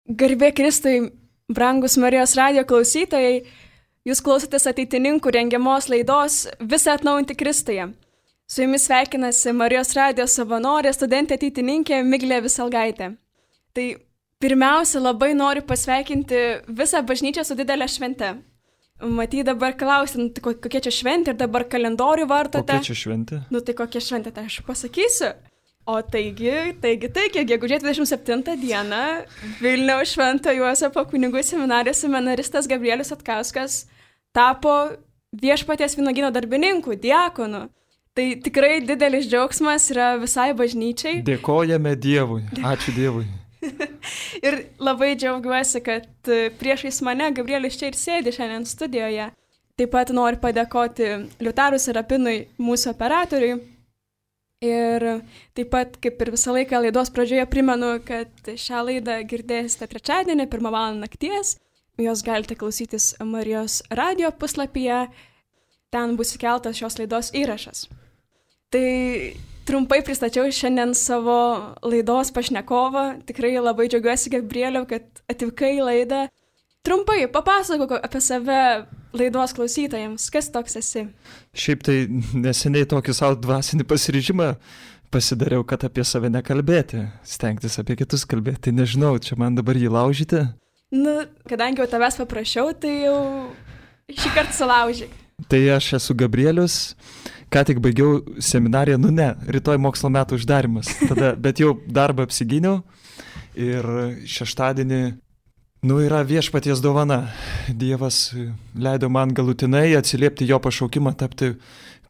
Garbė Kristui, brangus Marijos radijo klausytojai, jūs klausotės ateitininkų rengiamos laidos Visą atnaujinti Kristuje. Su jumis sveikinasi Marijos radijo savanorė, studentė ateitininkė Miglė Visalgaitė. Tai pirmiausia, labai noriu pasveikinti visą bažnyčią su didelė švente. Matyt, dabar klausim, kokia čia šventė ir dabar kalendorių vartote. Kokia čia šventė? Tai kokia šventė, tai aš pasakysiu. O taigi, gegužės 27 dieną Vilniaus Švento Juozapo kunigų seminarijos seminaristas Gabrielius Atkauskas tapo Viešpaties vynuogyno darbininku, diakonu. Tai tikrai didelis džiaugsmas yra visai bažnyčiai. Dėkojame Dievui, ačiū Dievui. Ir labai džiaugiuosi, kad priešais mane Gabrielius čia ir sėdi šiandien studijoje. Taip pat noriu padėkoti Liutarui Serapinui, mūsų operatoriui. Ir taip pat, kaip ir visą laiką laidos pradžioje primenu, kad šią laidą girdėsite trečiadienį, 1 val. Nakties. Jos galite klausytis Marijos radijo puslapyje. Ten bus įkeltas šios laidos įrašas. Tai trumpai pristačiau šiandien savo laidos pašnekovą. Tikrai labai džiaugiuosi, Gabrieliau, kad atvykai į laidą. Trumpai papasakok apie save laidos klausytojams. Kas toks esi? Šiaip tai neseniai tokį savo dvasinį pasiryžimą pasidariau, kad apie save nekalbėti, stengtis apie kitus kalbėti. Tai nežinau, čia man dabar jį laužyti. Kadangi jau tavęs paprašiau, tai jau šį kartą sulaužyk. Tai aš esu Gabrielius, ką tik baigiau seminariją, rytoj mokslo metų uždarimas. Bet jau darbą apsigyniau ir šeštadienį yra Viešpaties dovana. Dievas leido man galutinai atsiliepti jo pašaukimą tapti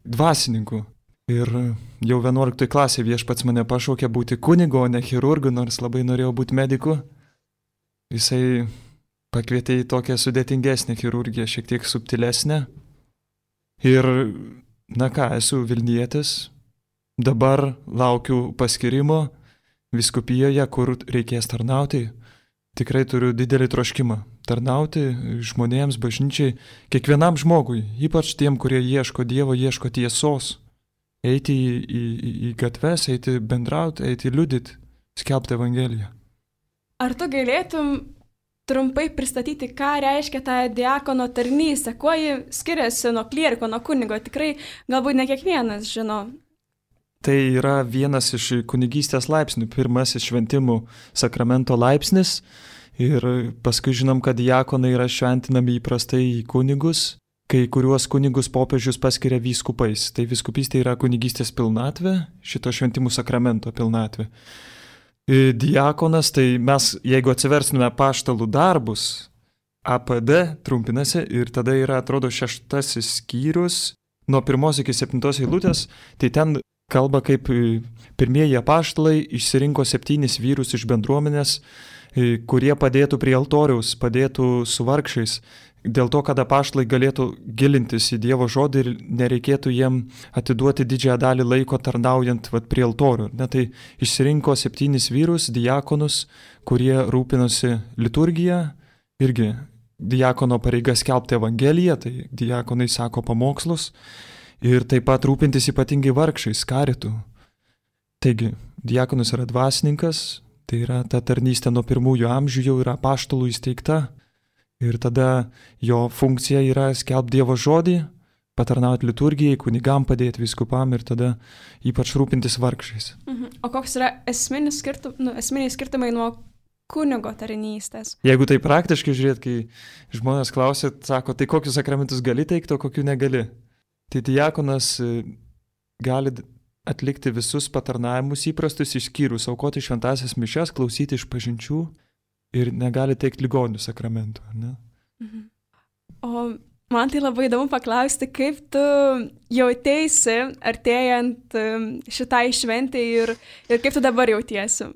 dvasininku. Ir jau 11 klasėje Viešpats mane pašaukė būti kunigu, o ne chirurgu, nors labai norėjau būti mediku. Jisai pakvietė į tokią sudėtingesnę chirurgiją, šiek tiek subtilesnę. Ir, esu Vilnietis. Dabar laukiu paskirimo vyskupijoje, kur reikės tarnauti. Tikrai turiu didelį troškimą tarnauti žmonėms, bažnyčiai, kiekvienam žmogui, ypač tiem, kurie ieško Dievo, ieško tiesos. Eiti į gatves, eiti bendrauti, eiti liudyti, skelbti Evangeliją. Ar tu galėtum trumpai pristatyti, ką reiškia ta diakono tarnystė, kuo ji skiriasi nuo klieriko, nuo kunigo? Tikrai galbūt ne kiekvienas žino. Tai yra vienas iš kunigystės laipsnių, pirmasis šventimų sakramento laipsnis ir paskui žinom, kad diakonai yra šventinami įprastai į kunigus, kai kuriuos kunigus popiežius paskiria vyskupais. Tai vyskupystė yra kunigystės pilnatvė, šito šventimų sakramento pilnatvė. Diakonas, tai mes, jeigu atsiverstume apaštalų darbus, APD trumpinasi ir tada yra, atrodo, 6 skyrius, nuo 1 iki 7 eilutės, tai ten kalba, kaip pirmieji apaštalai išsirinko 7 vyrus iš bendruomenės, kurie padėtų prie altoriaus, padėtų su vargšais, dėl to, kad apaštalai galėtų gilintis į Dievo žodį ir nereikėtų jiem atiduoti didžiąją dalį laiko tarnaujant prie altorių. Tai išsirinko 7 vyrus, diakonus, kurie rūpinosi liturgiją, irgi diakono pareiga skelbti Evangeliją, tai diakonai sako pamokslus, ir taip pat rūpintis ypatingai vargšais, karitų. Taigi, diakonas yra dvasininkas, tai yra ta tarnystė nuo pirmųjų amžių jau yra apaštalų įsteigta, ir tada jo funkcija yra skelbti Dievo žodį, patarnauti liturgijai, kunigam padėti vyskupam ir tada ypač rūpintis vargšais. O koks yra esminiai skirtumai nuo kunigo tarnystės? Jeigu tai praktiškai žiūrėt, kai žmonės klausia, sako, tai kokius sakramentus gali teikti, o kokių negali? Tai diakonas gali atlikti visus patarnavimus įprastus išskyrus, aukoti šventąsias mišias, klausyti išpažinčių ir negali teikti ligonių sakramentų. Ne? O man tai labai įdomu paklausti, kaip tu jauteisi artėjant šitai šventai ir kaip tu dabar jautiesi?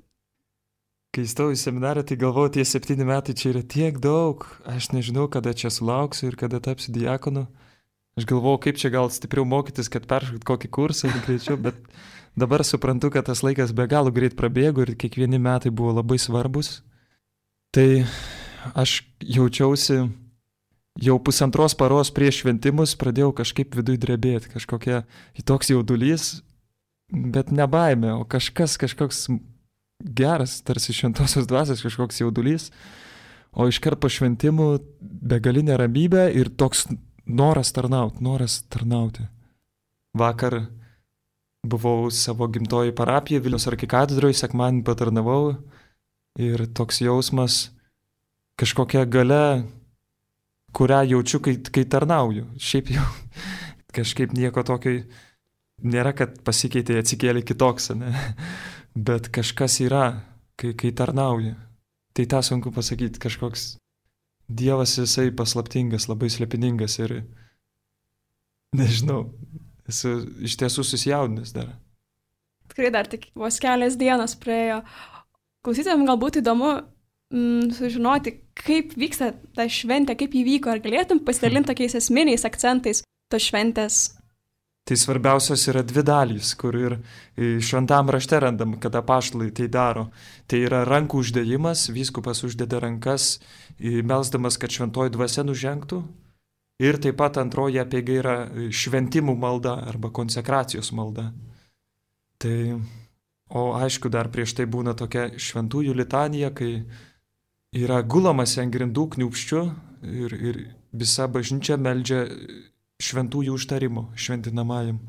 Kai įstojau į seminariją, tai galvojau, tie 7 metai čia yra tiek daug, aš nežinau, kada čia sulauksiu ir kada tapsiu diakonu. Aš galvojau, kaip čia gal stipriau mokytis, kad peršokti kokį kursą ir greičiau, bet dabar suprantu, kad tas laikas be galo greit prabėgo ir kiekvieni metai buvo labai svarbus. Tai aš jaučiausi jau 1,5 paros prieš šventimus, pradėjau kažkaip viduj drebėti, kažkokia toks jaudulys, bet ne baimė, o kažkoks geras, tarsi šventosios dvasios kažkoks jaudulys, o iškart po šventimų begalinė ramybė ir toks noras tarnauti. Vakar buvau savo gimtoji parapija Vilniaus arkikatedroje, sekmadienį patarnavau ir toks jausmas, kažkokia galia, kurią jaučiu, kai tarnauju. Šiaip jau kažkaip nieko tokio nėra, kad pasikeitė, atsikėlė kitoks, ne? Bet kažkas yra, kai tarnauji. Tai tą sunku pasakyti, kažkoks Dievas jisai paslaptingas, labai slėpiningas ir nežinau, esu iš tiesų susijaudinęs dar. Tikrai dar tik vos kelias dienos praėjo. Klausytojams galbūt įdomu sužinoti, kaip vyksta ta šventė, kaip įvyko, ar galėtum pasidalinti tokiais esminiais akcentais tos šventės? Tai svarbiausios yra dvi dalys, kur ir šventam rašte randam, kada apaštalai tai daro. Tai yra rankų uždėjimas, vyskupas uždeda rankas, melsdamas, kad šventoji dvasia nužengtų. Ir taip pat antroji apeiga yra šventimų malda arba konsekracijos malda. O aišku, dar prieš tai būna tokia šventųjų litanija, kai yra gulamas ant grindų kniūpščių ir visa bažnyčia meldžia šventųjų užtarimo šventinamajam.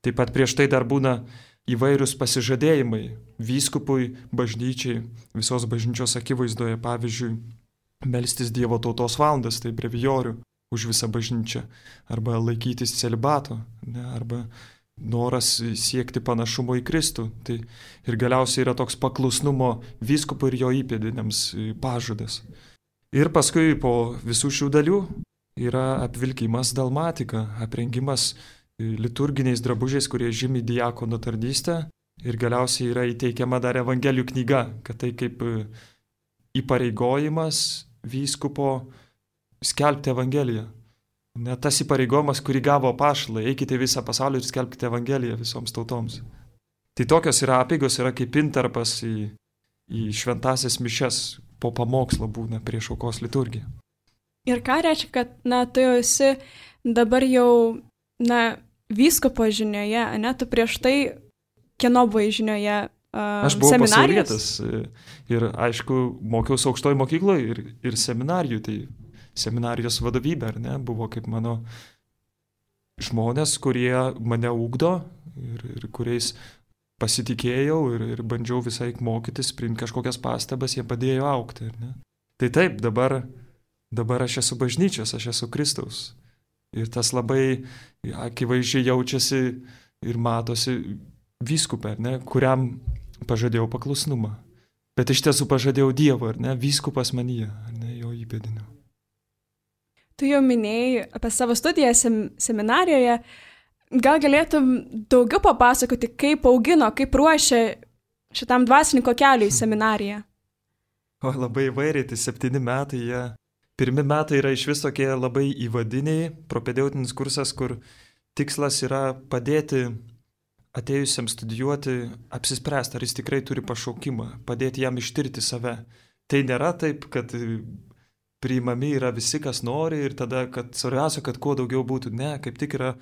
Taip pat prieš tai dar būna įvairūs pasižadėjimai vyskupui, bažnyčiai, visos bažnyčios akivaizdoje, pavyzdžiui, melstis Dievo tautos valandas, tai brevijorių už visą bažnyčią, arba laikytis celibato, ne, arba noras siekti panašumo į Kristų. Tai ir galiausiai yra toks paklusnumo vyskupui ir jo įpėdiniams pažadas. Ir paskui po visų šių dalių yra apvilkimas dalmatika, aprengimas liturginiais drabužiais, kurie žymi diakono tarnystę, ir galiausiai yra įteikiama dar Evangelijų knyga, kad tai kaip įpareigojimas vyskupo skelbti Evangeliją. Net tas įpareigojimas, kurį gavo apaštalai, eikite visą pasaulį ir skelbkite Evangeliją visoms tautoms. Tai tokios yra apeigos, yra kaip intarpas į šventasias mišias, po pamokslo būna prieš aukos liturgiją. Ir ką reiškia, kad, tu jau esi dabar jau, vyskupo žinioje, tu prieš tai kieno buvai žinioje seminarijos? Aš buvau pasaulietis ir, aišku, mokiausi aukštoje mokykloje ir seminarijų, tai seminarijos vadovybė, ar ne, buvo kaip mano žmonės, kurie mane ugdo ir kuriais pasitikėjau ir bandžiau visai mokytis, priimti kažkokias pastabas, jie padėjo augti, ar ne. Tai taip, dabar aš esu bažnyčios, aš esu Kristaus. Ir tas labai akivaizdžiai jaučiasi ir matosi vyskupė, ar ne, kuriam pažadėjau paklusnumą. Bet iš tiesų pažadėjau Dievą, ar ne, vyskupas manyje, ar ne, jo įpėdiniu. Tu jau minėjai apie savo studiją seminarijoje. Gal galėtum daugiau papasakoti, kaip augino, kaip ruošė šitam dvasininko keliui į seminariją? Labai įvairiai, tai 7 metai jie. Pirmi metai yra iš vis tokie labai įvadiniai, propedeutinis kursas, kur tikslas yra padėti atėjusiam studijuoti, apsispręsti, ar jis tikrai turi pašaukimą, padėti jam ištirti save. Tai nėra taip, kad priimami yra visi, kas nori ir tada, kad svarbiausia, kad kuo daugiau būtų. Ne, kaip tik yra,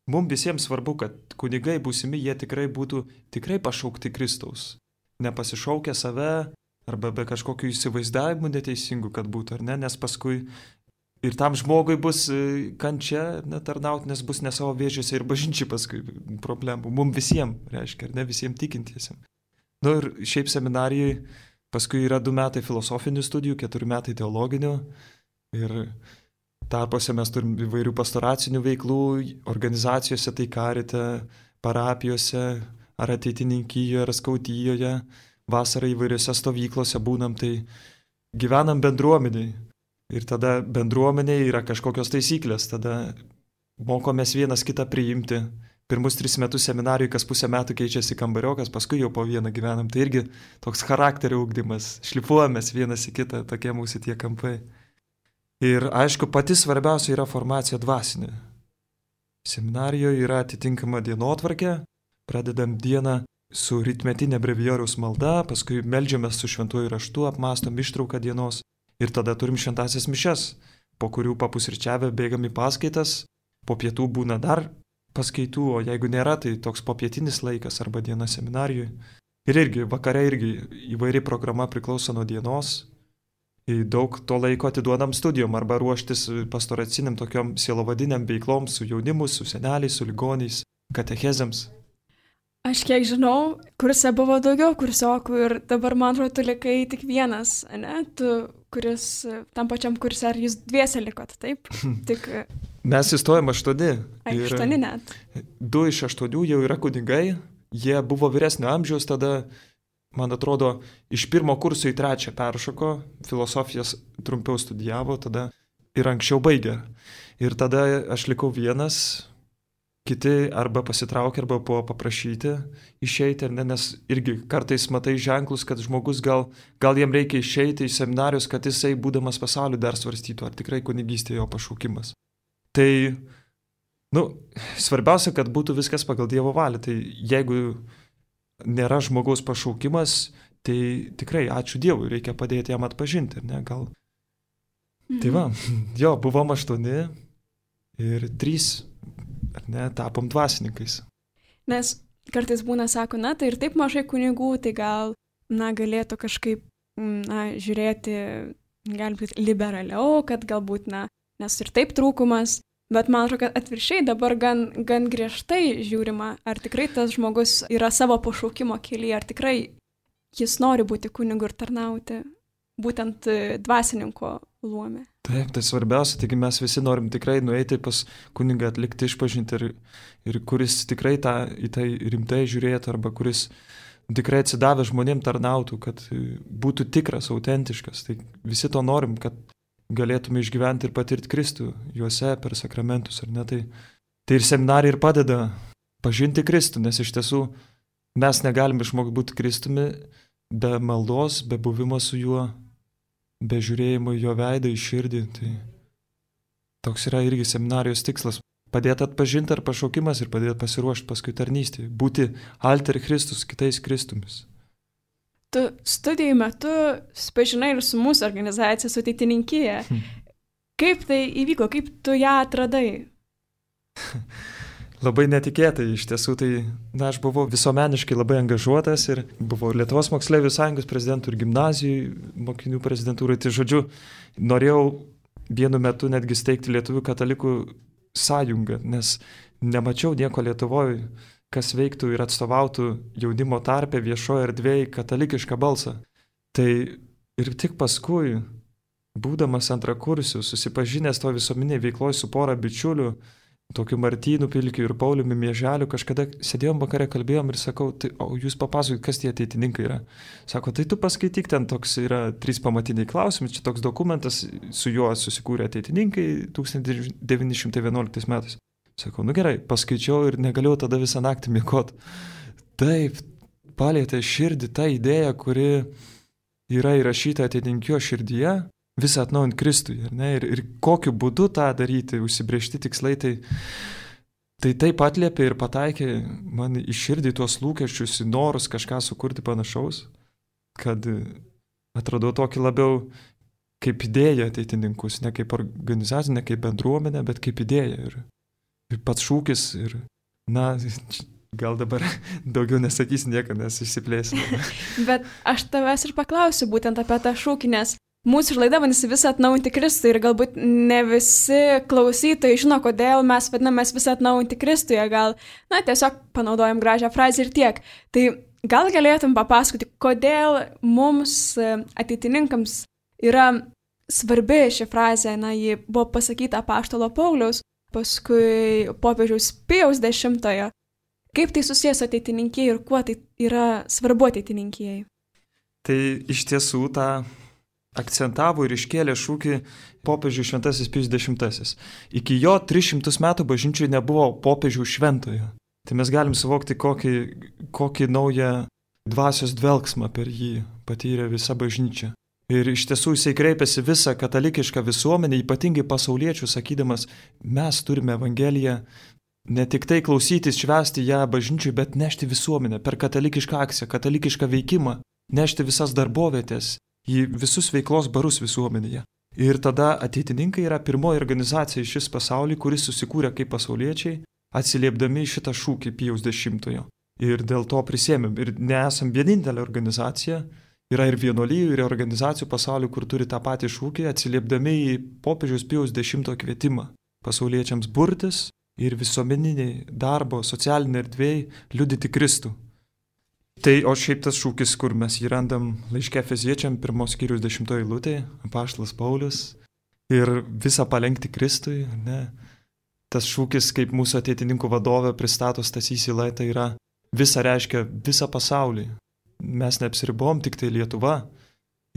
mums visiems svarbu, kad kunigai būsimi, jie tikrai būtų pašaukti Kristaus. Nepasišaukę save, arba be kažkokių įsivaizdavimų neteisingų, kad būtų, ar ne, nes paskui ir tam žmogui bus kančia netarnauti, nes bus ne savo vėžiuose ir bažnyčiai paskui problemų. Mums visiems, reiškia, ar ne, visiems tikintiesiam. Ir šiaip seminarijai paskui yra 2 metai filosofinių studijų, 4 metai teologinių ir tarpuose mes turim įvairių pastoracinių veiklų, organizacijose, tai karite, parapijose, ar ateitininkijoje, ar skautijoje. Vasarą įvairiose stovyklose būnam, tai gyvenam bendruomeniai. Ir tada bendruomeniai yra kažkokios taisyklės, tada mokomės vienas kitą priimti. Pirmus 3 metus seminarijai, kas pusę metų keičiasi kambariokas, paskui jau po vieną gyvenam. Tai irgi toks charakterio ugdymas, šlifuojamės vienas į kitą, tokie mūsų tie kampai. Ir aišku, pati svarbiausia yra formacija dvasinė. Seminarijoje yra atitinkama dienotvarkė, pradedam dieną su rytmetinė brevijoriaus malda, paskui meldžiamės su šventuoju raštu, apmąstom ištrauką dienos ir tada turim šventasias mišias, po kurių papusryčiavę bėgam į paskaitas, po pietų būna dar paskaitų, o jeigu nėra, tai toks popietinis laikas arba diena seminarijoje. Ir irgi, vakare irgi įvairi programa priklauso nuo dienos. Daug to laiko atiduodam studijom arba ruoštis pastoraciniam tokiom sielovadiniam veiklom su jaunimu, su seneliais, su ligoniais, katechezėms. Aš kiek žinau, kurse buvo daugiau kursiokų ir dabar, man atrodo, tu likai tik vienas, ne? Tu, kuris tam pačiam kurse, ar jūs dviese likot, taip? Tik... Mes įstojom 8. Ai, 8 net. 2 iš 8 jau yra kunigai, jie buvo vyresnio amžiaus, tada, man atrodo, iš 1 kurso į 3 peršoko, filosofijas trumpiau studijavo, tada ir anksčiau baigė. Ir tada aš likau vienas, kiti arba pasitraukė, arba buvo paprašyti išeiti, nes irgi kartais matai ženklus, kad žmogus gal jam reikia išeiti iš seminarijos, kad jisai, būdamas pasauliu, dar svarstytų, ar tikrai kunigystė jo pašaukimas. Tai, svarbiausia, kad būtų viskas pagal Dievo valią. Tai jeigu nėra žmogaus pašaukimas, tai tikrai ačiū Dievui, reikia padėti jam atpažinti, ne, gal. Tai va, buvom 8 ir 3, ar ne, tapom dvasininkais. Nes kartais būna, sako, tai ir taip mažai kunigų, tai gal, galėtų kažkaip, žiūrėti, galbūt liberaliau, kad galbūt, nes ir taip trūkumas, bet man atrodo, kad atvirkščiai dabar gan griežtai žiūrima, ar tikrai tas žmogus yra savo pašaukimo kelyje, ar tikrai jis nori būti kunigu ir tarnauti, būtent dvasininko luome. Taip, tai svarbiausia, taigi mes visi norim tikrai nueiti pas kunigą, atlikti išpažinti ir kuris tikrai į tai rimtai žiūrėtų, arba kuris tikrai atsidavę žmonėm tarnautų, kad būtų tikras, autentiškas. Tai visi to norim, kad galėtume išgyventi ir patirti Kristų juose per sakramentus, ar ne? Tai ir seminarija ir padeda pažinti Kristų, nes iš tiesų mes negalim išmokti būti Kristumi be maldos, be buvimo su juo, be žiūrėjimo į jo veidą, į širdį. Tai toks yra irgi seminarijos tikslas. Padėti atpažinti ar pašaukimas ir padėti pasiruošti paskui tarnystėje. Būti alter Kristus, kitais Kristumis. Tu studijų metu susipažinai ir su mūsų organizacija, su Ateitininkija. Kaip tai įvyko, kaip tu ją atradai? Labai netikėtai, iš tiesų, tai aš buvau visuomeniškai labai angažuotas ir buvau Lietuvos moksleivių sąjungos prezidentų ir gimnazijų mokinių prezidentūrai. Tai žodžiu, norėjau vienu metu netgi steigti Lietuvių katalikų sąjungą, nes nemačiau nieko Lietuvoje, kas veiktų ir atstovautų jaunimo tarpe viešoje erdvėje katalikišką balsą. Tai ir tik paskui, būdamas antrakursiu, susipažinęs to visuomenėje veikloje su pora bičiulių, tokiu Martynu Pilkiu ir Pauliumi Mieželiu, kažkada sėdėjom vakare, kalbėjom ir sakau, tai, o jūs papasakokit, kas tie ateitininkai yra. Sako, tai tu paskaityk, ten toks yra 3 pamatiniai klausimai, čia toks dokumentas, su juo susikūrė ateitininkai 1911 metais. Sakau, gerai, paskaičiau ir negalėjau tada visą naktį miegoti. Taip, palietė širdį tą idėją, kuri yra įrašyta ateitinkio širdyje, visą atnaujant Kristui, ar ne? Ir kokiu būdu tą daryti, užsibrėžti tikslai, tai taip atliepė ir pataikė man į širdį tuos lūkesčius, į norus kažką sukurti panašaus, kad atradau tokį labiau kaip idėją ateitininkus, ne kaip organizacija, ne kaip bendruomenė, bet kaip idėja. Ir pats šūkis, ir, gal dabar daugiau nesakysi nieko, nes išsiplėsim. Bet aš tavęs ir paklausiu būtent apie tą šūkį, nes mūsų laida vadinasi Visą atnaujinti Kristui ir galbūt ne visi klausytojai žino, kodėl mes vadinamės Visą atnaujinti Kristuje, gal, tiesiog panaudojam gražią frazę ir tiek. Tai gal galėtum papasakoti, kodėl mums ateitininkams yra svarbi ši frazė, ji buvo pasakyta apaštalo Pauliaus, paskui popiežiaus Pijaus X. Kaip tai susijęs ateitininkijai ir kuo tai yra svarbu ateitininkijai? Tai iš tiesų tą akcentavo ir iškėlė šūkį popiežius Šventasis Pijus X. Iki jo 300 metų bažnyčiai nebuvo popiežių šventojo. Tai mes galim suvokti, kokį naują dvasios dvelksmą per jį patyrė visa bažnyčia. Ir iš tiesų jisai kreipėsi visą katalikišką visuomenę, ypatingai pasauliečių, sakydamas, mes turime Evangeliją ne tik tai klausytis, švęsti ją bažnyčiai, bet nešti visuomenę per katalikišką akciją, katalikišką veikimą, nešti visas darbovietės į visus veiklos barus visuomenėje. Ir tada ateitininkai yra pirmoji organizacija iš šis pasaulį, kuris susikūrė kaip pasauliečiai, atsiliepdami šitą šūkį Pijaus X. ir dėl to prisėmėm. Ir nesam vienintelė organizacija, yra ir vienuolijų, ir organizacijų pasaulyje, kur turi tą patį šūkį, atsiliepdami į popiežiaus Pijaus X kvietimą pasauliečiams burtis ir visuomeniniai darbo, socialiniai erdvėjai liudyti Kristų. Tai, o šiaip tas šūkis, kur mes jį randam laiške Efeziečiam 1 skyriaus 10 eilutėje, apaštalas Paulius, ir visą palenkti Kristui, ne? Tas šūkis, kaip mūsų ateitininkų vadovė pristato Stasys Yla, tai yra visa reiškia visą pasaulį. Mes neapsiribom tik tai Lietuva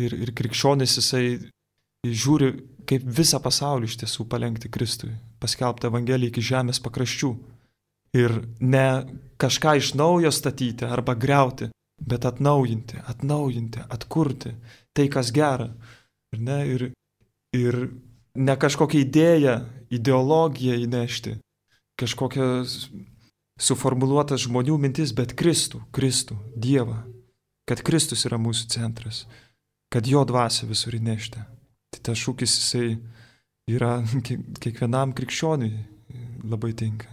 ir krikščionis jisai žiūri, kaip visą pasaulį iš tiesų palenkti Kristui, paskelbti Evangeliją iki žemės pakraščių. Ir ne kažką iš naujo statyti arba griauti, bet atnaujinti, atkurti tai, kas gera. Ir ne kažkokią idėją, ideologiją įnešti, kažkokias suformuluotas žmonių mintis, bet Kristų, Dievą, kad Kristus yra mūsų centras, kad jo dvasia visur įnešti. Tai tas šūkis jisai yra kiekvienam krikščioniui labai tinka.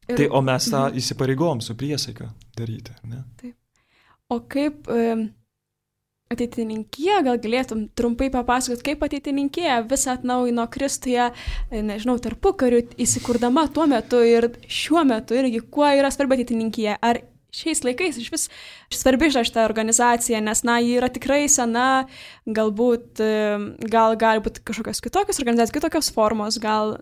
Tai, o mes tą įsipareigom su priesaika daryti, ne? Taip. O kaip ateitininkija, gal galėtum trumpai papasakoti, kaip ateitininkija visą atnaujino Kristuje, nežinau, tarpukariu įsikurdama tuo metu ir šiuo metu irgi, kuo yra svarbi ateitininkija? Ar šiais laikais iš vis svarbi šita organizacija, nes, ji yra tikrai sena, galbūt, gal gali būti kažkokios kitokios organizacijos, kitokios formos, gal,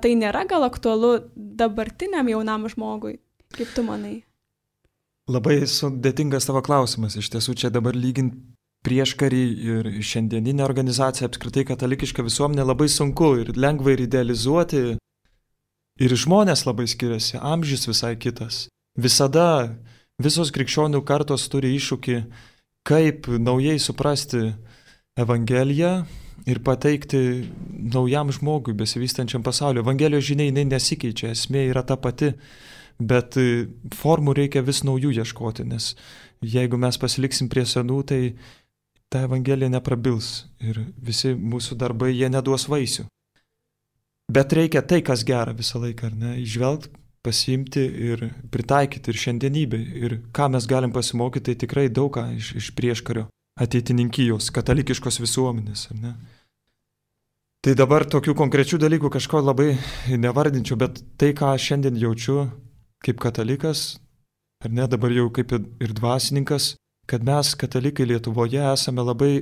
tai nėra gal aktualu dabartiniam jaunam žmogui. Kaip tu manai? Labai sudėtingas tavo klausimas. Iš tiesų, čia dabar lygint prieškarį ir šiandieninę organizaciją, apskritai katalikišką visuomenę, labai sunku ir lengva ir idealizuoti. Ir žmonės labai skiriasi, amžius visai kitas. Visada visos krikščionių kartos turi iššūkį, kaip naujai suprasti Evangeliją ir pateikti naujam žmogui besivystančiam pasauliu. Evangelijos žinia jinai nesikeičia, esmė yra ta pati, bet formų reikia vis naujų ieškoti, nes jeigu mes pasiliksim prie senų, tai ta Evangelija neprabils ir visi mūsų darbai jie neduos vaisių. Bet reikia tai, kas gera visą laiką, ar ne, įžvelgti, pasiimti ir pritaikyti ir šiandienybei. Ir ką mes galim pasimokyti, tai tikrai daug ką iš prieškario ateitininkijos, katalikiškos visuomenės. Ar ne? Tai dabar tokių konkrečių dalykų kažko labai nevardinčiau, bet tai, ką šiandien jaučiu kaip katalikas, ar ne, dabar jau kaip ir dvasininkas, kad mes katalikai Lietuvoje esame labai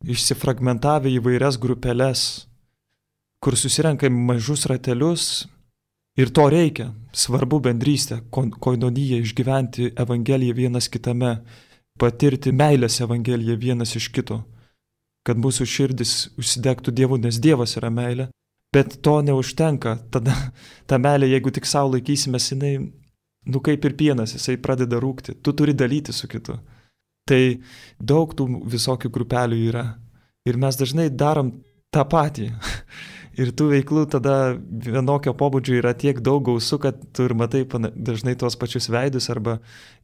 išsifragmentavę įvairias grupeles, kur susirenkam mažus ratelius. Ir to reikia. Svarbu bendrystę, koinoniją, išgyventi Evangeliją vienas kitame, patirti meilės Evangeliją vienas iš kito, kad mūsų širdis užsidegtų Dievu, nes Dievas yra meilė. Bet to neužtenka. Tada ta meilė, jeigu tik savo laikysimės, jinai, kaip ir pienas, jisai pradeda rūgti. Tu turi dalyti su kitu. Tai daug tų visokių grupelių yra. Ir mes dažnai darom tą patį. Ir tų veiklų tada vienokio pobūdžio yra tiek daug gausu, kad tu ir matai dažnai tuos pačius veidus, arba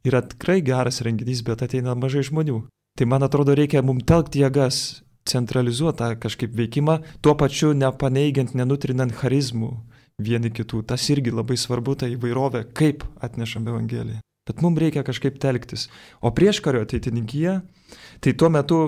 yra tikrai geras renginys, bet ateina mažai žmonių. Tai man atrodo, reikia mums telkti jėgas, centralizuoti tą kažkaip veikimą, tuo pačiu nepaneigiant, nenutrinant charizmų vieni kitų. Tas irgi labai svarbu, ta įvairovė, kaip atnešam Evangeliją. Bet mums reikia kažkaip telktis. O prieškario ateitininkija, tai tuo metu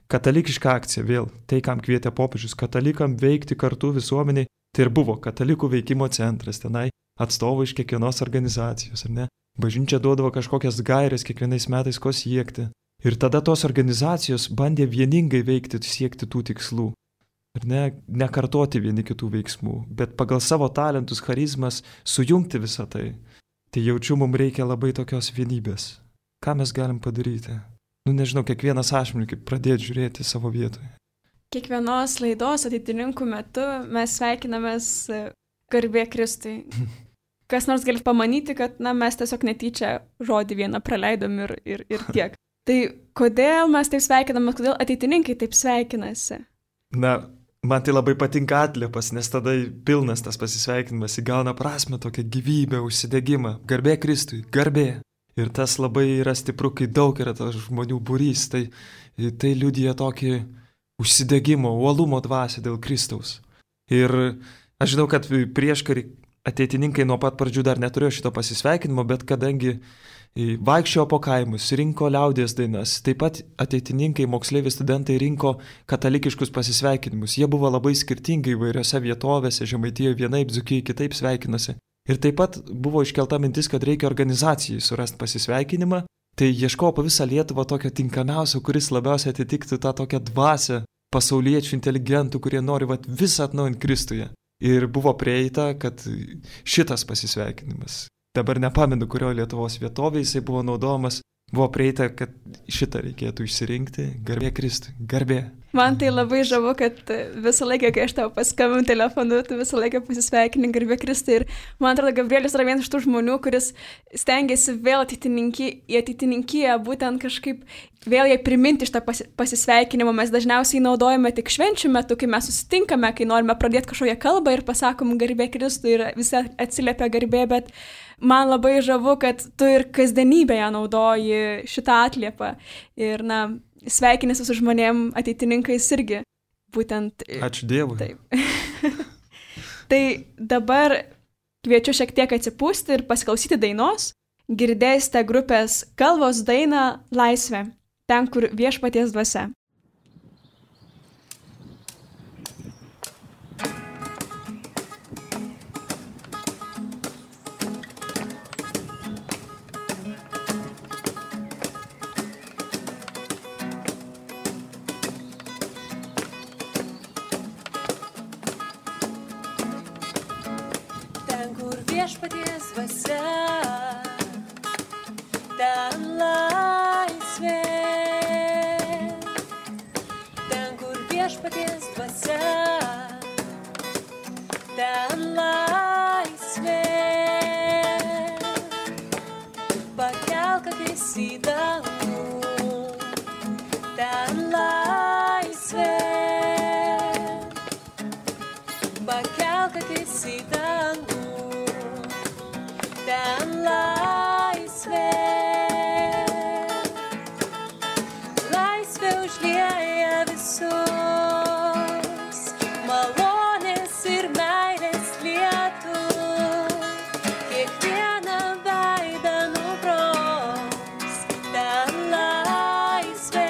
katalikiška akcija vėl, tai kam kvietė popiežius, katalikam veikti kartu visuomeniai, tai ir buvo katalikų veikimo centras, tenai atstovai iš kiekvienos organizacijos, ar ne? Bažnyčia duodavo kažkokias gaires kiekvienais metais, ko siekti. Ir tada tos organizacijos bandė vieningai veikti, siekti tų tikslų. Ir nekartoti vieni kitų veiksmų, bet pagal savo talentus, charizmas sujungti visą tai. Tai jaučiu, mums reikia labai tokios vienybės. Ką mes galim padaryti? Nežinau, kiekvienas asmeniškai pradėti žiūrėti savo vietoje. Kiekvienos laidos ateitininkų metu mes sveikinamės garbė Kristui. Kas nors gali pamanyti, kad mes tiesiog netyčia žodį vieną praleidom ir tiek. Tai kodėl mes taip sveikinamės, kodėl ateitininkai taip sveikinasi? Man tai labai patinka atliepas, nes tada pilnas tas pasisveikinimas įgauna prasmę, tokią gyvybę, užsidegimą. Garbė Kristui, garbė. Ir tas labai yra stipru, kai daug yra tas žmonių būrys, tai liudija tokį užsidegimo, uolumo dvasią dėl Kristaus. Ir aš žinau, kad prieškarį ateitininkai nuo pat pradžių dar neturėjo šito pasisveikinimo, bet kadangi vaikščiojo po kaimus, rinko liaudies dainas, taip pat ateitininkai, moksleiviai, studentai rinko katalikiškus pasisveikinimus. Jie buvo labai skirtingai įvairiose vietovėse, Žemaitijoje vienaip, Dzūkijoje kitaip sveikinosi. Ir taip pat buvo iškelta mintis, kad reikia organizacijai surasti pasisveikinimą. Tai ieškojo po visą Lietuvą tokio tinkamiausio, kuris labiausiai atitiktų tą tokią dvasią pasauliečių inteligentų, kurie nori visą atnaujinti Kristuje. Ir buvo prieita, kad šitas pasisveikinimas, dabar nepamenu, kurio Lietuvos vietovėje jisai buvo naudojamas, buvo prieita, kad šitą reikėtų išsirinkti. Garbė Kristui, garbė. Man tai labai žavu, kad visą laiką, kai aš tau paskambinu telefonu, tu visą laiką pasisveikini garbė Kristui. Ir man atrodo, Gabrielius yra vienas iš tų žmonių, kuris stengiasi vėl į ateitininkiją, būtent kažkaip vėl jai priminti šitą pasisveikinimą. Mes dažniausiai naudojame tik švenčių metu, kai mes susitinkame, kai norime pradėti kažkokią kalbą ir pasakom garbė Kristui ir visi atsiliepia garbė, bet man labai žavu, kad tu ir kasdienybėje naudoji šitą atliepą. Ir, sveikinasi su žmonėm ateitininkais irgi. Būtent. Ačiū Dievui. Taip. Tai dabar kviečiu šiek tiek atsipūsti ir pasiklausyti dainos. Girdėsite grupės Kalvos dainą Laisvė, ten, kur viešpaties dvasia. Viešpaties dvasia, ten laisvė, ten, kur viešpaties dvasia, ten laisvė, pakelk akis į dangų, ten laisvė, pakelk akis į dangų. Ten laisvė, laisvė užlieja visus, malonės ir meilės lietų, kiekvieną veidą nubraus, ten laisvė.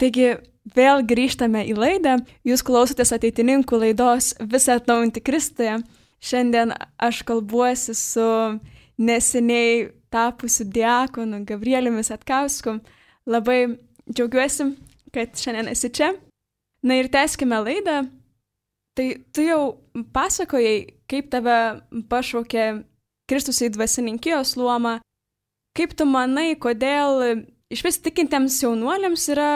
Taigi vėl grįžtame į laidą. Jūs klausotės ateitininkų laidos Visą atnaujinti Kristuje. Šiandien aš kalbuosi su neseniai tapusiu diakonu Gabrieliumi Satkausku. Labai džiaugiuosi, kad šiandien esi čia. Na ir tęskime laidą. Tai tu jau pasakojai, kaip tave pašaukė Kristus į dvasininkijos luomą. Kaip tu manai, kodėl išvis tikintiems jaunuoliams yra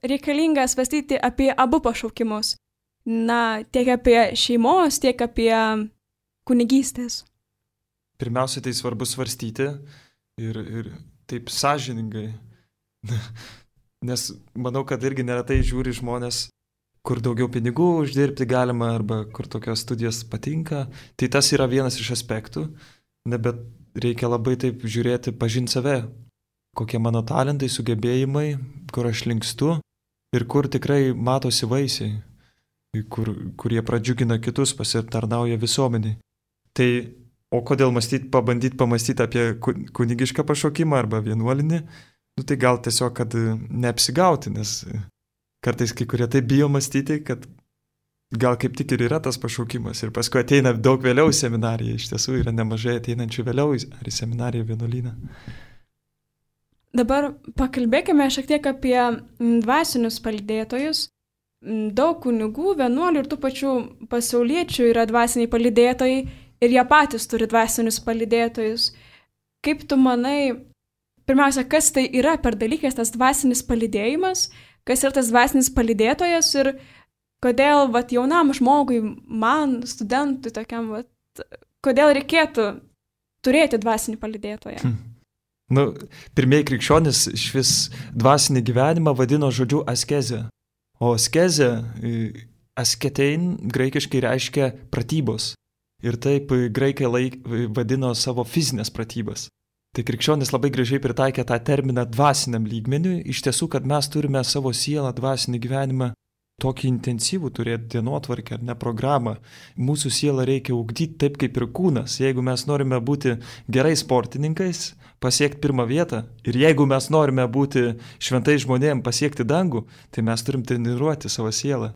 reikalinga svarstyti apie abu pašaukimus? Na, tiek apie šeimos, tiek apie kunigystės. Pirmiausia, tai svarbu svarstyti ir taip sąžiningai. Nes manau, kad irgi neretai žiūri žmonės, kur daugiau pinigų uždirbti galima arba kur tokios studijos patinka. Tai tas yra vienas iš aspektų. Bet reikia labai taip žiūrėti, pažinti save, kokie mano talentai, sugebėjimai, kur aš linkstu ir kur tikrai matosi vaisiai, kurie pradžiugina kitus, pasitarnauja visuomeniai. Tai, o kodėl pabandyti pamastyti apie kunigišką pašaukimą arba vienuolinį, tai gal tiesiog, kad neapsigauti, nes kartais kai kurie taip bijo mąstyti, kad gal kaip tik ir yra tas pašaukimas ir paskui ateina daug vėliau į seminariją, iš tiesų yra nemažai ateinančių vėliau ar į seminariją vienuolyną. Dabar pakalbėkime šiek tiek apie dvasinius palydėtojus. Daug kunigų, vienuolių ir tų pačių pasauliečių yra dvasiniai palydėtojai ir jie patys turi dvasinius palydėtojus. Kaip tu manai, pirmiausia, kas tai yra per dalykas tas dvasinis palydėjimas, kas yra tas dvasinis palydėtojas ir kodėl jaunam žmogui, man, studentui tokiam, kodėl reikėtų turėti dvasinį palydėtoją? Pirmieji krikščionys švis dvasinį gyvenimą vadino žodžiu askezė. O askezė, asketein, graikiškai reiškia pratybos. Ir taip graikai vadino savo fizinės pratybas. Tai krikščionys labai gražiai pritaikė tą terminą dvasiniam lygmeniui. Iš tiesų, kad mes turime savo sielą dvasinį gyvenimą tokį intensyvų turėti dienotvarkę ar ne programą. Mūsų sielą reikia ugdyti taip kaip ir kūnas. Jeigu mes norime būti gerai sportininkais, pasiekti pirmą vietą ir jeigu mes norime būti šventai žmonėm, pasiekti dangų, tai mes turim treniruoti savo sielą.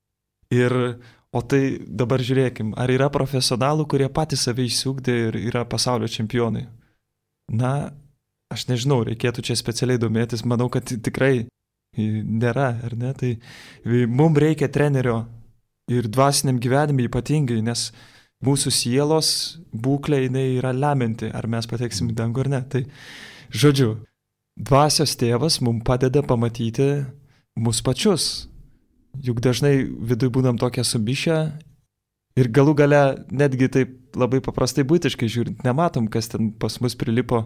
O tai dabar žiūrėkim, ar yra profesionalų, kurie patys save išsiugdė ir yra pasaulio čempionai? Na, aš nežinau, reikėtų čia specialiai domėtis, manau, kad tikrai nėra, ar ne? Tai mums reikia trenerio ir dvasiniam gyvenimui ypatingai, nes mūsų sielos būklė jinai yra lemianti, ar mes pateksim į dangų ar ne. Tai, žodžiu, dvasios tėvas mums padeda pamatyti mus pačius. Juk dažnai viduje būnam tokia sumišę ir galų gale netgi taip labai paprastai buitiškai žiūrint, nematom, kas ten pas mus prilipo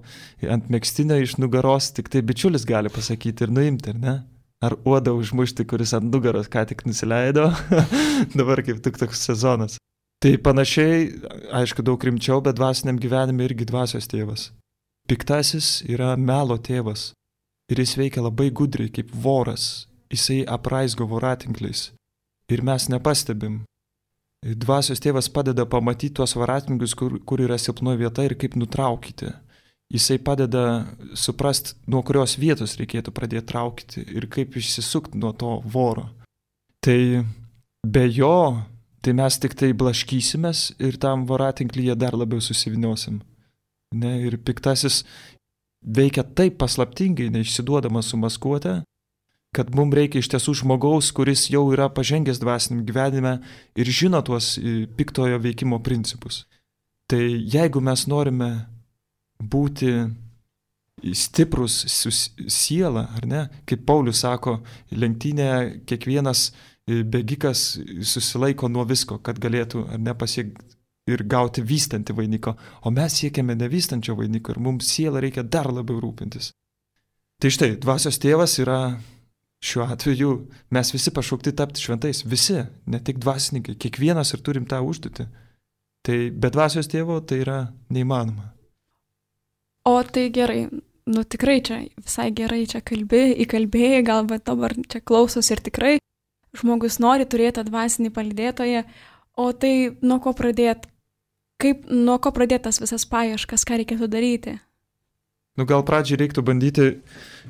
ant megztinio iš nugaros, tik tai bičiulis gali pasakyti ir nuimti, ar ne? Ar uodą užmušti, kuris ant nugaros ką tik nusileido, dabar kaip tik toks sezonas. Tai panašiai, aišku, daug rimčiau, bet dvasiniam gyvenime irgi dvasios tėvas. Piktasis yra melo tėvas ir jis veikia labai gudriai kaip voras, jisai apraizgo voratinkliais ir mes nepastebim. Dvasios tėvas padeda pamatyti tuos voratinklius, kur yra silpnoji vieta ir kaip nutraukyti. Jisai padeda suprasti, nuo kurios vietos reikėtų pradėti traukti ir kaip išsisukti nuo to voro. Tai be jo, tai mes tik tai blaškysimės ir tam voratinklyje dar labiau susiviniosim. Ne? Ir piktasis veikia taip paslaptingai, neišsiduodamas su maskuote, kad mums reikia iš tiesų žmogaus, kuris jau yra pažengęs dvasiniam gyvenime ir žino tuos piktojo veikimo principus. Tai jeigu mes norime būti stiprus su siela, ar ne? Kaip Paulius sako, lenktynėje kiekvienas bėgikas susilaiko nuo visko, kad galėtų ar ne pasiekti ir gauti vystantį vainiką. O mes siekiame nevystančio vainiko ir mums sielą reikia dar labiau rūpintis. Tai štai, dvasios tėvas yra šiuo atveju, mes visi pašaukti tapti šventais. Visi, ne tik dvasininkai, kiekvienas ir turim tą užduotį. Tai be dvasios tėvo tai yra neįmanoma. O tai gerai, tikrai čia visai gerai čia įkalbėjai, galbūt dabar čia klausos ir tikrai žmogus nori turėti dvasinį palydėtoją, o tai nuo ko pradėti? Nuo ko pradėtas visas paieškas, ką reikėtų daryti? Gal pradžiai reiktų bandyti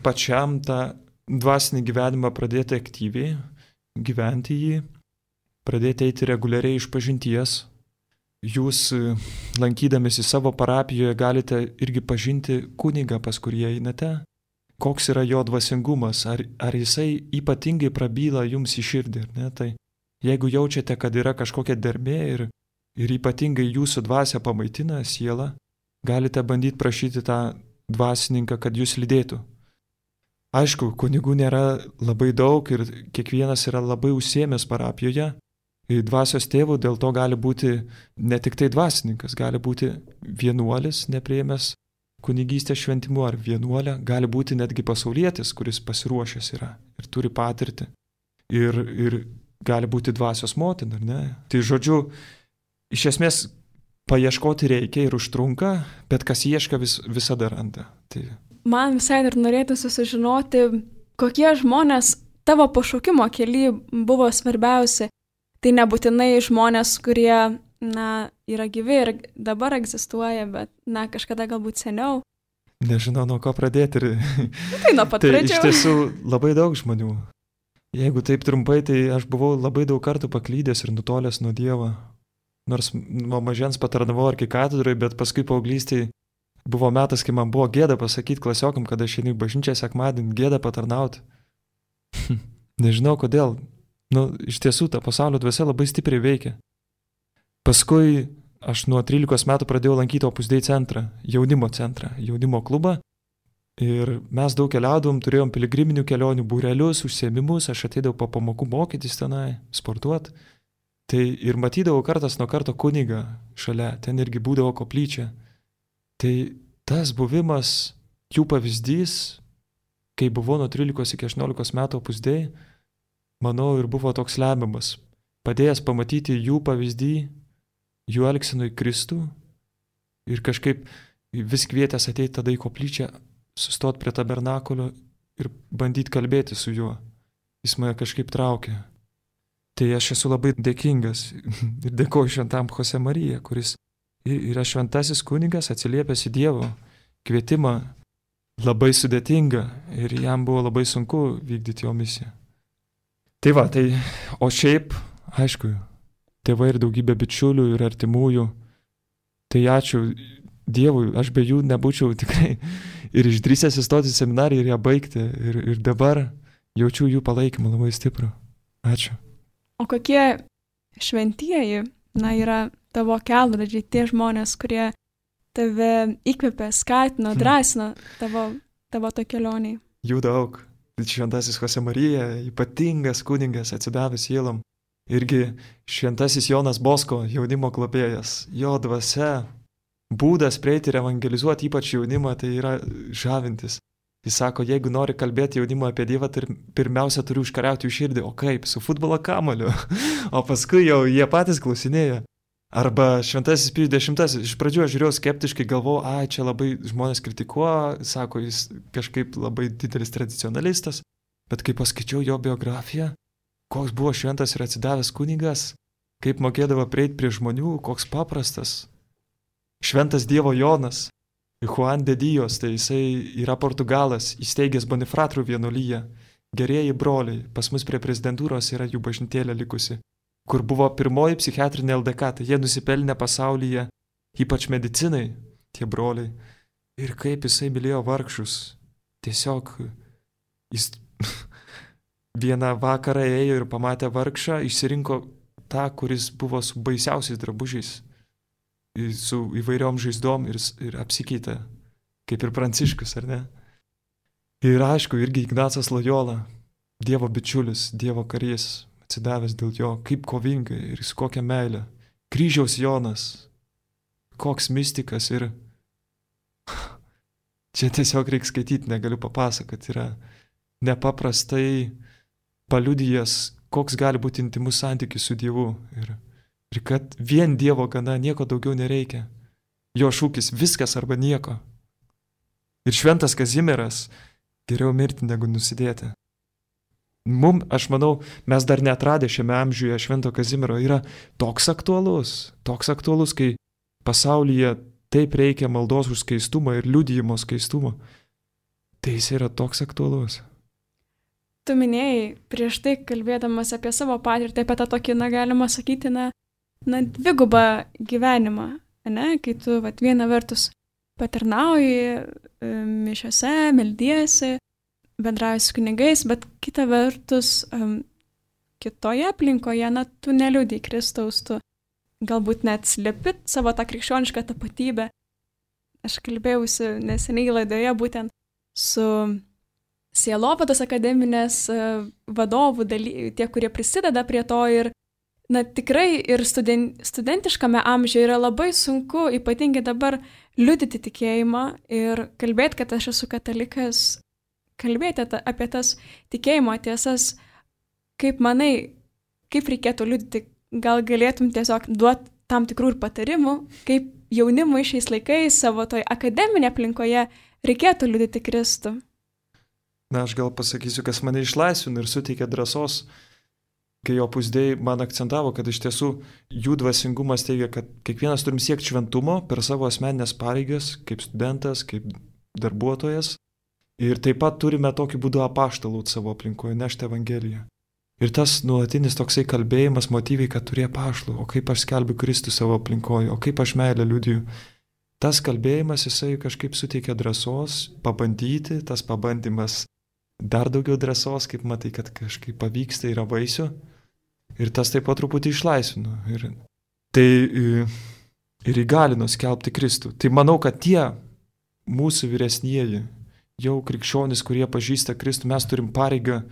pačiam tą dvasinį gyvenimą pradėti aktyviai, gyventi jį, pradėti eiti reguliariai iš pažinties. Jūs, lankydamėsi savo parapijoje, galite irgi pažinti kunigą, pas kurį einate, koks yra jo dvasingumas, ar jisai ypatingai prabyla jums į širdį, ar ne? Tai jeigu jaučiate, kad yra kažkokia dermė ir ypatingai jūsų dvasia pamaitina sielą, galite bandyti prašyti tą dvasininką, kad jūs lydėtų. Aišku, kunigų nėra labai daug ir kiekvienas yra labai užsiėmęs parapijoje. Dvasios tėvų dėl to gali būti ne tik tai dvasininkas, gali būti vienuolis, nepriėmęs kunigystės šventimu, ar vienuolė, gali būti netgi pasaulietis, kuris pasiruošęs yra ir turi patirtį. Ir gali būti dvasios motina, ar ne? Tai žodžiu, iš esmės paieškoti reikia ir užtrunka, bet kas ieška visada randa. Tai... Man visai dar norėtųsi sužinoti, kokie žmonės tavo pašaukimo kely buvo svarbiausi. Tai nebūtinai žmonės, kurie, yra gyvi ir dabar egzistuoja, bet, kažkada galbūt seniau. Nežinau, nuo ko pradėti. Tai nuo pat pradžių. Tai iš tiesų labai daug žmonių. Jeigu taip trumpai, tai aš buvau labai daug kartų paklydęs ir nutolęs nuo Dievo. Nors nuo mažens patarnavau arkikatedrai, bet paskui paauglystėje buvo metas, kai man buvo gėda pasakyti klasiokam, kad aš einu į bažnyčią sekmadienį, gėda patarnauti. Nežinau kodėl. Iš tiesų, ta pasaulio dvasia labai stipriai veikia. Paskui aš nuo 13 metų pradėjau lankyti Opus Dei centrą, jaunimo klubą. Ir mes daug keliaudom, turėjom piligriminių kelionių, būrelius, užsiėmimus, aš ateidavau po pamokų mokytis tenai, sportuoti. Tai ir matydavau kartas nuo karto kunigą šalia, ten irgi būdavo koplyčia. Tai tas buvimas, jų pavyzdys, kai buvau nuo 13 iki 18 metų Opus Dei, manau, ir buvo toks lemiamas, padėjęs pamatyti jų pavyzdį, jų elgsenui Kristų ir kažkaip vis kvietęs ateiti tada į koplyčią, sustot prie tabernakulio ir bandyti kalbėti su juo. Jis mane kažkaip traukė. Tai aš esu labai dėkingas ir dėkoju šventam Jose Marija, kuris yra šventasis kunigas, atsiliepęs į Dievo kvietimą, labai sudėtinga ir jam buvo labai sunku vykdyti jo misiją. Tai va, o šiaip, aišku, tėvai ir daugybė bičiulių ir artimųjų, tai ačiū Dievui, aš be jų nebūčiau tikrai ir išdrįsęs įstoti į seminariją ir ją baigti ir dabar jaučiu jų palaikymą labai stiprų. Ačiū. O kokie šventieji, yra tavo kelrodžiai, tie žmonės, kurie tave įkvėpė, skatino, drąsino tavo to kelioniai? Jų daug. Šventasis Jose Marija, ypatingas kunigas, atsidavęs sielom. Irgi šventasis Jonas Bosko, jaunimo globėjas. Jo dvasia, būdas prieiti ir evangelizuoti ypač jaunimą, tai yra žavintis. Jis sako, jeigu nori kalbėti jaunimą apie Dievą, tai pirmiausia turi užkariauti jų širdį. O kaip? Su futbolo kamuoliu. O paskui jau jie patys klausinėja. Arba šventasis Pijus X. Iš pradžių aš žiūrėjau skeptiškai, galvojau, čia labai žmonės kritikuoja, sako, jis kažkaip labai didelis tradicionalistas. Bet kai paskaičiau jo biografiją, koks buvo šventas ir atsidavęs kunigas, kaip mokėdavo prieiti prie žmonių, koks paprastas. Šventas Dievo Jonas, Juan de Dios, tai jisai yra Portugalas, įsteigęs Bonifratrų vienuolyje. Gerieji broliai, pas mus prie prezidentūros yra jų bažnytėlė likusi, kur buvo pirmoji psichiatrinė LDK, tai jie nusipelnė pasaulyje, ypač medicinai, tie broliai. Ir kaip jisai mylėjo vargšus. Tiesiog jis vieną vakarą ėjo ir pamatė vargšą, išsirinko tą, kuris buvo su baisiausiais drabužiais, su įvairiom žaizdom ir apsikeitė, kaip ir Pranciškus, ar ne? Ir aišku, irgi Ignacas Lojola, Dievo bičiulis, Dievo karys, atsidavęs dėl jo, kaip kovingai ir su kokia meilė. Kryžiaus Jonas, koks mistikas ir čia tiesiog reikia skaityti, negaliu papasakoti, yra nepaprastai paliudijęs, koks gali būti intimus santykis su Dievu ir kad vien Dievo gana, nieko daugiau nereikia. Jo šūkis viskas arba nieko. Ir šventas Kazimieras, geriau mirti negu nusidėti. Aš manau, mes dar neatradę šiame amžiuje Švento Kazimiero yra toks aktualus, kai pasaulyje taip reikia maldos už skaistumą ir liudijimo skaistumo. Tai jis yra toks aktualus. tu minėjai prieš tai, kalbėdamas apie savo patirtį, apie tą tokį, galima sakyti, dvigubą gyvenimą, ne? Kai tu, viena vertus patarnauji mišiose, meldiesi, bendrauji su kunigais, bet kita vertus kitoje aplinkoje, tu neliudai Kristaus, tu galbūt net slepi savo tą krikščionišką tapatybę. Aš kalbėjausi neseniai laidoje būtent su Sielovados akademinės vadovų, tie, kurie prisideda prie to ir, tikrai ir studentiškame amžiuje yra labai sunku, ypatingai dabar, liudyti tikėjimą ir kalbėti, kad aš esu katalikas, kalbėti apie tas tikėjimo tiesas, kaip manai, kaip reikėtų liudyti, gal galėtum tiesiog duoti tam tikrų ir patarimų, kaip jaunimui šiais laikais savo toj akademinė aplinkoje reikėtų liudyti Kristų. Aš gal pasakysiu, kas mane išlaisvino ir suteikė drąsos, kai Opus Dei man akcentavo, kad iš tiesų jų dvasingumas teigia, kad kiekvienas turim siekti šventumo per savo asmeninės pareigas, kaip studentas, kaip darbuotojas. Ir taip pat turime tokiu būdu apaštalauti savo aplinkoje, nešti Evangeliją. Ir tas nuolatinis toksai kalbėjimas motyviai, kad turi apaštalų, o kaip aš skelbiu Kristų savo aplinkoje, o kaip aš meilę liudiju. Tas kalbėjimas, jisai kažkaip suteikia drąsos pabandyti, tas pabandymas dar daugiau drąsos, kaip matai, kad kažkaip pavyksta, yra vaisių. Ir tas taip pat truputį išlaisvino. Ir įgalino skelbti Kristų. Tai manau, kad tie mūsų vyresnieji, jau krikščionys, kurie pažįsta Kristų, mes turim pareigą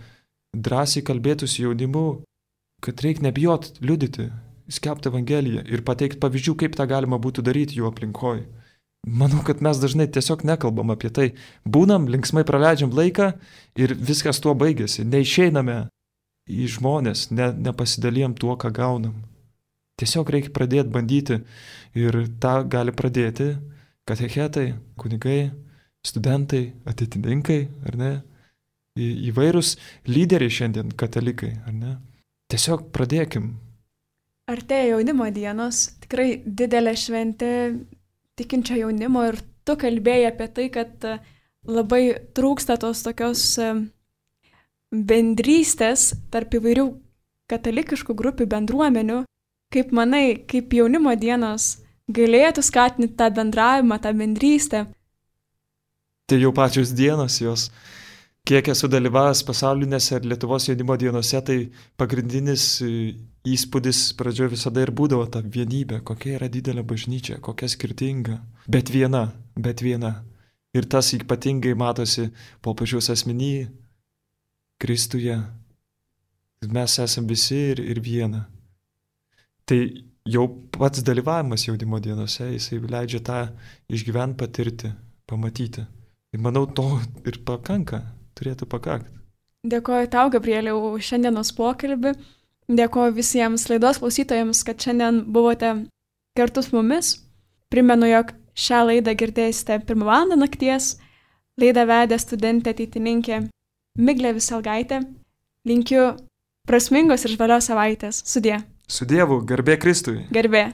drąsiai kalbėti su jaunimu, kad reikia nebijot liudyti, skelbti Evangeliją ir pateikti pavyzdžių, kaip tą galima būtų daryti jų aplinkoje. Manau, kad mes dažnai tiesiog nekalbam apie tai. Būnam, linksmai praleidžiam laiką ir viskas tuo baigėsi. Neišeiname į žmonės, nepasidalijam tuo, ką gaunam. Tiesiog reikia pradėti bandyti ir tą gali pradėti katechetai, kunigai, studentai, ateitininkai, ar ne? Įvairūs lyderiai šiandien, katalikai, ar ne? Tiesiog pradėkim. Artėja jaunimo dienos, tikrai didelė šventė tikinčio jaunimo ir tu kalbėjai apie tai, kad labai trūksta tos tokios bendrystės tarp įvairių katalikiškų grupių bendruomenių. Kaip manai, kaip jaunimo dienos galėtų skatinti tą bendravimą, tą bendrystę? Tai jau pačios dienos jos, kiek esu dalyvavęs pasaulinėse ir Lietuvos jaunimo dienose, tai pagrindinis įspūdis pradžioje visada ir būdavo ta vienybė, kokia yra didelė bažnyčia, kokia skirtinga, bet viena. Ir tas ypatingai matosi popiežiaus asmenyje, Kristuje. Mes esame visi ir viena. Tai jau pats dalyvavimas jaunimo dienose, jisai leidžia tą išgyventi, patirti, pamatyti. Ir manau, to ir pakanka, turėtų pakakti. Dėkoju tau, Gabrieliau, už šiandienos pokalbį. Dėkoju visiems laidos klausytojams, kad šiandien buvote kartu su mumis. Primenu, jog šią laidą girdėsite 1 val. Nakties. Laidą vedė studentė ateitininkė Miglė Viselgaitė. Linkiu prasmingos ir žvalios savaitės. Sudie. Su Dievu, garbė Kristui. Garbė.